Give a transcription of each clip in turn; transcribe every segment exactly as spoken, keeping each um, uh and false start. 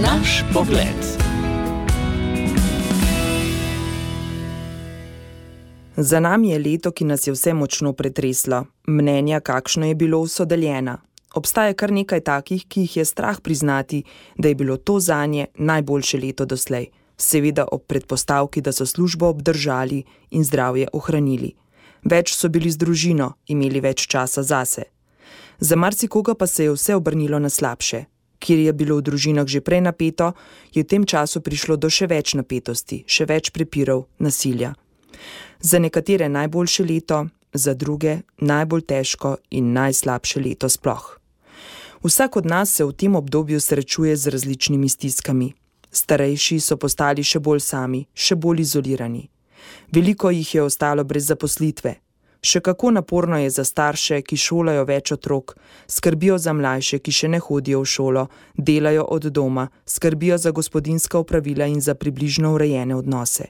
Naš pogled. Za nami je leto, ki nas je vse močno pretreslo. Mnenja, kakšno je bilo, so deljena. Obstaja kar nekaj takih, ki jih je strah priznati, da je bilo to zanje najboljše leto doslej. Seveda ob predpostavki, da so službo obdržali in zdravje ohranili. Več so bili z družino, imeli več časa zase. Za marsikoga pa se je vse obrnilo na slabše. Kjer je bilo v družinah že prej napeto, je v tem času prišlo do še več napetosti, še več prepirov, nasilja. Za nekatere najboljše leto, za druge najbolj težko in najslabše leto sploh. Vsak od nas se v tem obdobju srečuje z različnimi stiskami. Starejši so postali še bolj sami, še bolj izolirani. Veliko jih je ostalo brez zaposlitve. Še kako naporno je za starše, ki šolajo več otrok, skrbijo za mlajše, ki še ne hodijo v šolo, delajo od doma, skrbijo za gospodinjska opravila in za približno urejene odnose.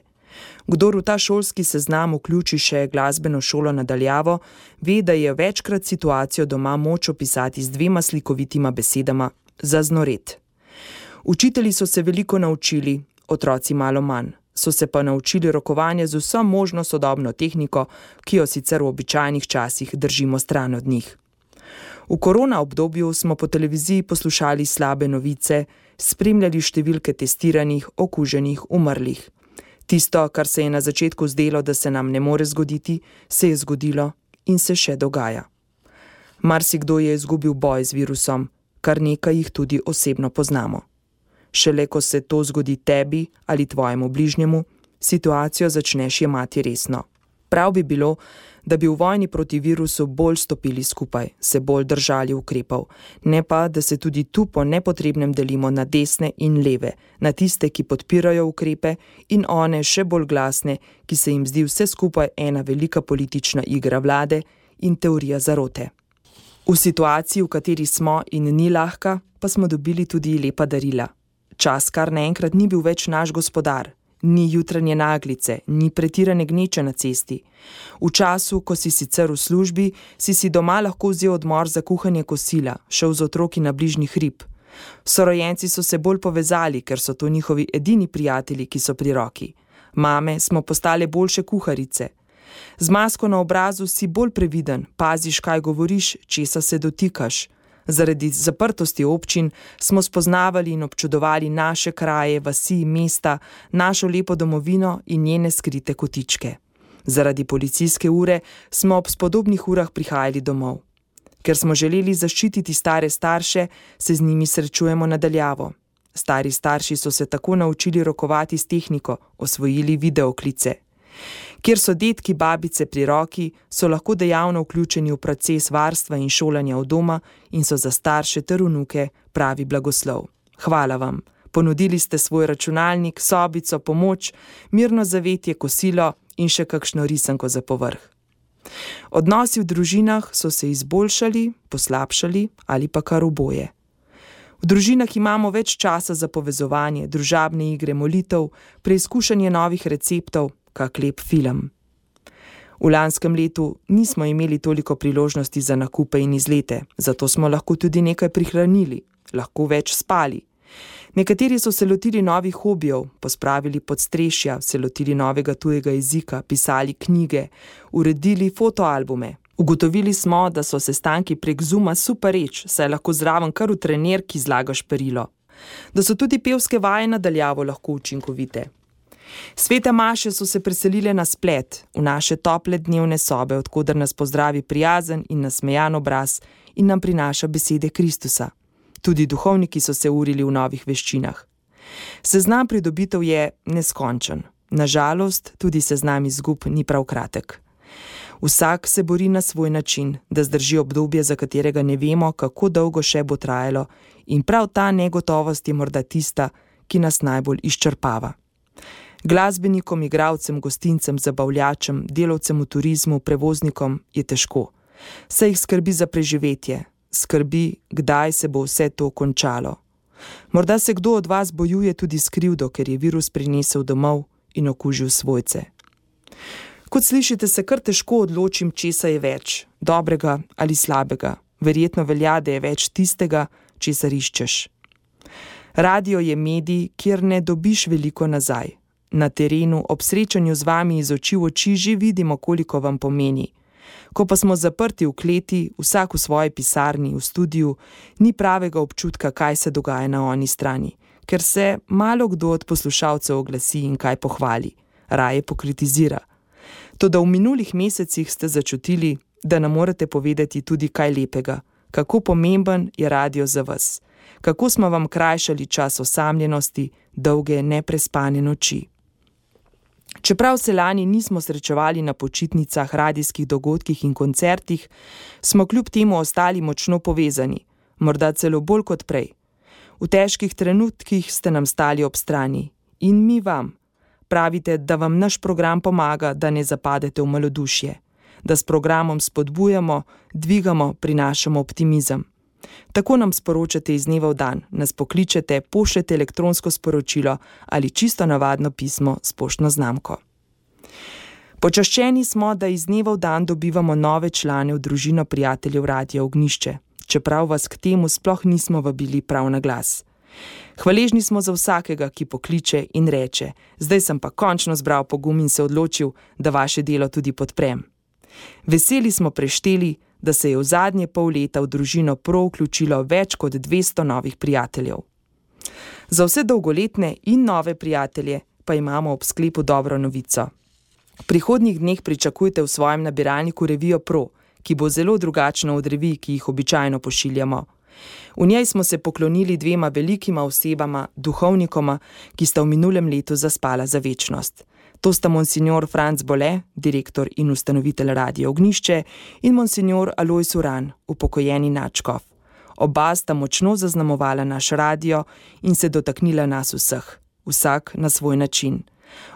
Kdor v ta šolski seznam vključi še glasbeno šolo nadaljavo, ve, da je večkrat situacijo doma moč opisati z dvema slikovitima besedama: zaznoret. Učitelji so se veliko naučili, otroci malo manj. So se pa naučili rokovanje z vso možno sodobno tehniko, ki jo sicer v običajnih časih držimo stran od njih. V korona obdobju smo po televiziji poslušali slabe novice, spremljali številke testiranih, okuženih, umrlih. Tisto, kar se je na začetku zdelo, da se nam ne more zgoditi, se je zgodilo in se še dogaja. Marsikdo je izgubil boj z virusom, kar nekaj jih tudi osebno poznamo. Šele ko se to zgodi tebi ali tvojemu bližnjemu, situacijo začneš jemati resno. Prav bi bilo, da bi v vojni proti virusu bolj stopili skupaj, se bolj držali ukrepov, ne pa, da se tudi tu po nepotrebnem delimo na desne in leve, na tiste, ki podpirajo ukrepe, in one še bolj glasne, ki se jim zdi vse skupaj ena velika politična igra vlade in teorija zarote. V situaciji, v kateri smo in ni lahka, pa smo dobili tudi lepa darila. Čas kar naenkrat ni bil več naš gospodar, ni jutranje naglice, ni pretirane gneče na cesti. V času, ko si sicer v službi, si si doma lahko vzel odmor za kuhanje kosila, šel z otroki na bližnji hrib. Sorojenci so se bolj povezali, ker so to njihovi edini prijatelji, ki so pri roki. Mame smo postale boljše kuharice. Z masko na obrazu si bolj previden, paziš, kaj govoriš, česa se dotikaš. Zaradi zaprtosti občin smo spoznavali in občudovali naše kraje, vasi, mesta, našo lepo domovino in njene skrite kotičke. Zaradi policijske ure smo ob spodobnih urah prihajali domov. Ker smo želeli zaščititi stare starše, se z njimi srečujemo nadaljavo. Stari starši so se tako naučili rokovati s tehniko, osvojili videoklice. Kjer so dedki, babice pri roki, so lahko dejavno vključeni v proces varstva in šolanja od doma in so za starše ter vnuke pravi blagoslov. Hvala vam. Ponudili ste svoj računalnik, sobico, pomoč, mirno zavetje, kosilo in še kakšno risanko za povrh. Odnosi v družinah so se izboljšali, poslabšali ali pa kar oboje. V družinah imamo več časa za povezovanje, družabne igre, molitev, preizkušanje novih receptov, kak lep film. V lanskem letu nismo imeli toliko priložnosti za nakupe in izlete, zato smo lahko tudi nekaj prihranili, lahko več spali. Nekateri so se lotili novih hobijev, pospravili podstrešja, se lotili novega tujega jezika, pisali knjige, uredili fotoalbume. Ugotovili smo, da so sestanki prek Zooma super reč, saj lahko zraven kar v trenirki zlagaš perilo. Da so tudi pevske vaje nadaljavo lahko učinkovite. Svete maše so se preselile na splet, v naše tople dnevne sobe, od koder nas pozdravi prijazen in nasmejan obraz in nam prinaša besede Kristusa. Tudi duhovniki so se urili v novih veščinah. Seznam pridobitev je neskončen. Nažalost, tudi seznam izgub ni prav kratek. Vsak se bori na svoj način, da zdrži obdobje, za katerega ne vemo, kako dolgo še bo trajalo, in prav ta negotovost je morda tista, ki nas najbolj izčrpava. Glasbenikom, igralcem, gostincem, zabavljačem, delavcem v turizmu, prevoznikom je težko. Saj jih skrbi za preživetje, skrbi, kdaj se bo vse to končalo. Morda se kdo od vas bojuje tudi s krivdo, ker je virus prinesel domov in okužil svojce. Kot slišite, se kar težko odločim, česa je več, dobrega ali slabega. Verjetno velja, da je več tistega, česar iščeš. Radio je medij, kjer ne dobiš veliko nazaj. Na terenu, ob srečanju z vami iz oči v oči že vidimo, koliko vam pomeni. Ko pa smo zaprti v kleti, vsak v svoji pisarni, v studiu, ni pravega občutka, kaj se dogaja na oni strani, ker se malo kdo od poslušalcev oglasi in kaj pohvali, raje pokritizira. Toda v minulih mesecih ste začutili, da nam morate povedati tudi kaj lepega, kako pomemben je radio za vas, kako smo vam krajšali čas osamljenosti, dolge neprespane noči. Čeprav se lani nismo srečevali na počitnicah, radijskih dogodkih in koncertih, smo kljub temu ostali močno povezani, morda celo bolj kot prej. V težkih trenutkih ste nam stali ob strani in mi vam. Pravite, da vam naš program pomaga, da ne zapadete v malodušje, da s programom spodbujamo, dvigamo, prinašamo optimizem. Tako nam sporočate iz dneva v dan, nas pokličete, pošljete elektronsko sporočilo ali čisto navadno pismo s poštno znamko. Počaščeni smo, da iz dneva v dan dobivamo nove člane v družino prijateljev Radia Ognjišče, čeprav vas k temu sploh nismo vabili prav na glas. Hvaležni smo za vsakega, ki pokliče in reče, zdaj sem pa končno zbral pogum in se odločil, da vaše delo tudi podprem. Veseli smo prešteli, da se je v zadnje pol leta v družino Pro vključilo več kot dvesto novih prijateljev. Za vse dolgoletne in nove prijatelje pa imamo ob sklepu dobro novico. V prihodnjih dneh pričakujte v svojem nabiralniku revijo Pro, ki bo zelo drugačna od revij, ki jih običajno pošiljamo. V njej smo se poklonili dvema velikima osebama, duhovnikoma, ki sta v minulem letu zaspala za večnost. To sta monsignor Franc Bole, direktor in ustanovitelj Radia Ognjišče, in monsignor Alojz Uran, upokojeni nadškof. Oba sta močno zaznamovala naš radio in se dotaknila nas vseh, vsak na svoj način.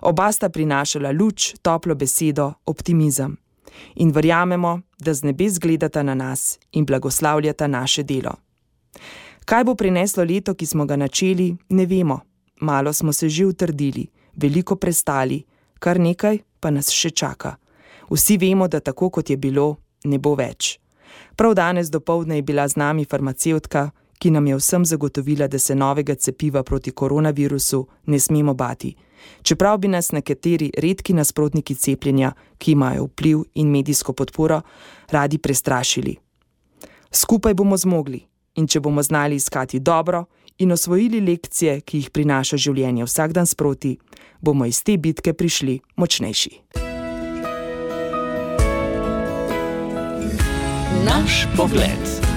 Oba sta prinašala luč, toplo besedo, optimizem. In verjamemo, da z nebes gledata na nas in blagoslavljata naše delo. Kaj bo prineslo leto, ki smo ga načeli, ne vemo. Malo smo se že utrdili, veliko prestali, kar nekaj pa nas še čaka. Vsi vemo, da tako kot je bilo, ne bo več. Prav danes dopoldne je bila z nami farmacevtka, ki nam je vsem zagotovila, da se novega cepiva proti koronavirusu ne smemo bati. Čeprav bi nas nekateri redki nasprotniki cepljenja, ki imajo vpliv in medijsko podporo, radi prestrašili. Skupaj bomo zmogli in če bomo znali iskati dobro in osvojili lekcije, ki jih prinaša življenje vsak dan sproti, bomo iz te bitke prišli močnejši. Naš pogled.